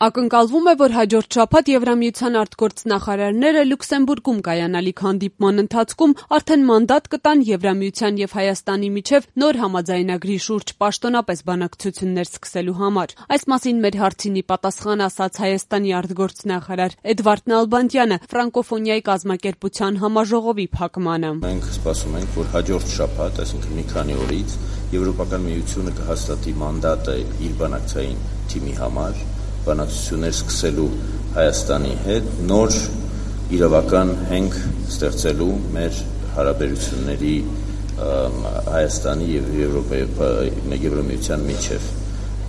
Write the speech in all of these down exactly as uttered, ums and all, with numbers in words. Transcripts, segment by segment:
Ակնկալվում է, որ հաջորդ շաբաթ Եվրամիության արտգործնախարարները Լյուքսեմբուրգում կայանալիք հանդիպման ընթացքում արդեն մանդատ կտան Եվրամիության և Հայաստանի միջև նոր համաձայնագրի շուրջ պաշտոնապես բանակցություններ սկսելու համար։ Այս մասին մեր հարցինի պատասխան ասաց Հայաստանի արտգործնախարար Էդվարդ Նալբանդյանը ֆրանկոֆոնիայի կազմակերպության համաժողովի փակմանը։ Մենք սպասում ենք, որ հաջորդ շաբաթ, այսինքն մի քանի օրից, Եվրոպական միությունը կհաստատի մանդատը իր բանակցային թիմի համար բանակցություններ սկսելու Հայաստանի հետ, նոր իրավական հենք ստեղծելու մեր հարաբերությունների Հայաստանի և Եվրամիության միջև։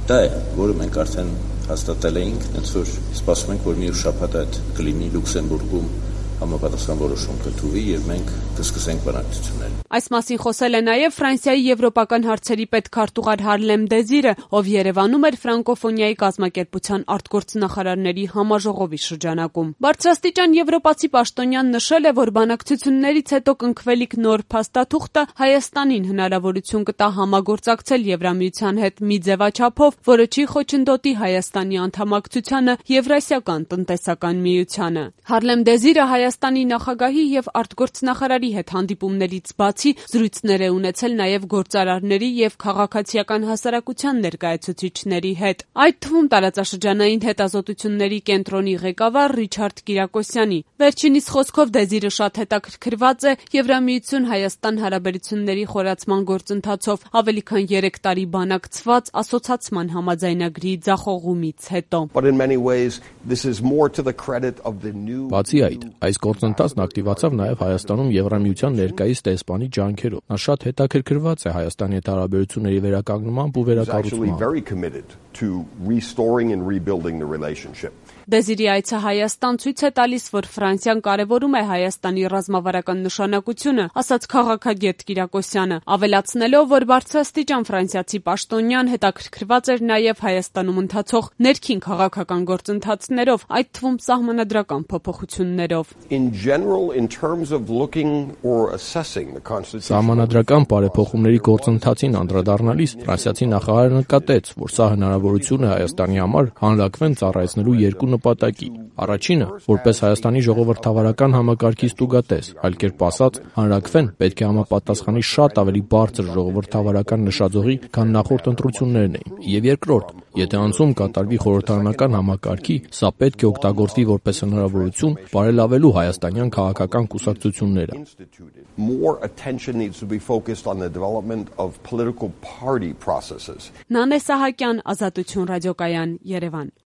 Դա է, որը մենք արդեն հաստատել էինք, հենց որ սպասում ենք, որ մի շաբաթ այդ կլինի Լյուքսեմբուրգում համապատասխան որոշում կթուվի և մենք կսկսենք բանակցությունները։ Այս մասին խոսել է նաև Ֆրանսիայի եվրոպական հարցերի պետքարտուղար Հարլեմ Դեզիրը, ով Երևանում էր ֆրանկոֆոնիայի կազմակերպության արտգործնախարարների համաժողովի շրջանակում։ Բարձրաստիճան եվրոպացի պաշտոնյան նշել է, որ բանակցություններից հետո կնքվելիք նոր փաստաթուղթը Հայաստանին հնարավորություն կտա համագործակցել Եվրամիության հետ մի ձևաչափով, որը չի խոչընդոտի Հայաստանի անդամակցությանը Եվրասիական տնտեսական միությանը։ Հարլեմ Դեզիրը Հայաստանի նախագահի և արտգործնախարարի հետ հանդիպումներից բացի զրույցներ է ունեցել նաև գործարարների և քաղաքացիական հասարակության ներկայացուցիչների հետ, այդ թվում տարածաշրջանային հետազոտությունների կենտրոնի ղեկավար Ռիչարդ Կիրակոսյանի։ Վերջինիս խոսքով Դեզիրը շատ հետաքրքրված է Եվրամիություն-Հայաստան հարաբերությունների խորացման գործընթացով ավելի քան երեք տարի բանակցված ասոցացման համաձայնագրի ձախողումից հետո։ Բացի այդ, այս գործընթացն ակտիվացավ նաև Հայաստանում Եվրամիության ներկայիս դեսպանի ջանքերով։ Նա շատ հետաքրքրված է Հայաստանի հետ հարաբերությունների վերականգնմամբ ու վերակառուցմամբ։ Դեզիրի այցը Հայաստան ցույց է տալիս, որ Ֆրանսիան կարևորում է Հայաստանի ռազմավարական նշանակությունը, ասաց քաղաքագետ Կիրակոսյանը, ավելացնելով, որ բարձրաստիճան ֆրանսիացի պաշտոնյան հետաքրքրված էր նաև Հայաստանում ընթացող ներքին քաղաքական գործընթացներով, այդ թվում սահմանադրական փոփոխություններով։ Սահմանադրական բարեփոխումների գործընթացին անդրադառնալիս ֆրանսիացի նախարարը նկատեց, որ սա հնարավորություն է Հայաստանի համար հանրաքվեն ծառայեցնելու երկու նպատակի։ Առաջինը, որպես Հայաստանի ժողովրդավարական համակարգի ստուգատես, այլ կերպ ասած, հանրաքվեն պետք է համապատասխանի շատ ավելի բարձր ժողովրդավարական նշաձողի, քան նախորդ ընտրություններն էին։ Եվ երկրորդ, եթե անցում կատարվի խորհրդարանական համակարգի, սա պետք է օգտագործվի որպես հնարավորություն բարելավելու հայաստանյան քաղաքական կուսակցությունները։ Նանե Սահակյան, Ազատություն ռադիոկայան, Երևան։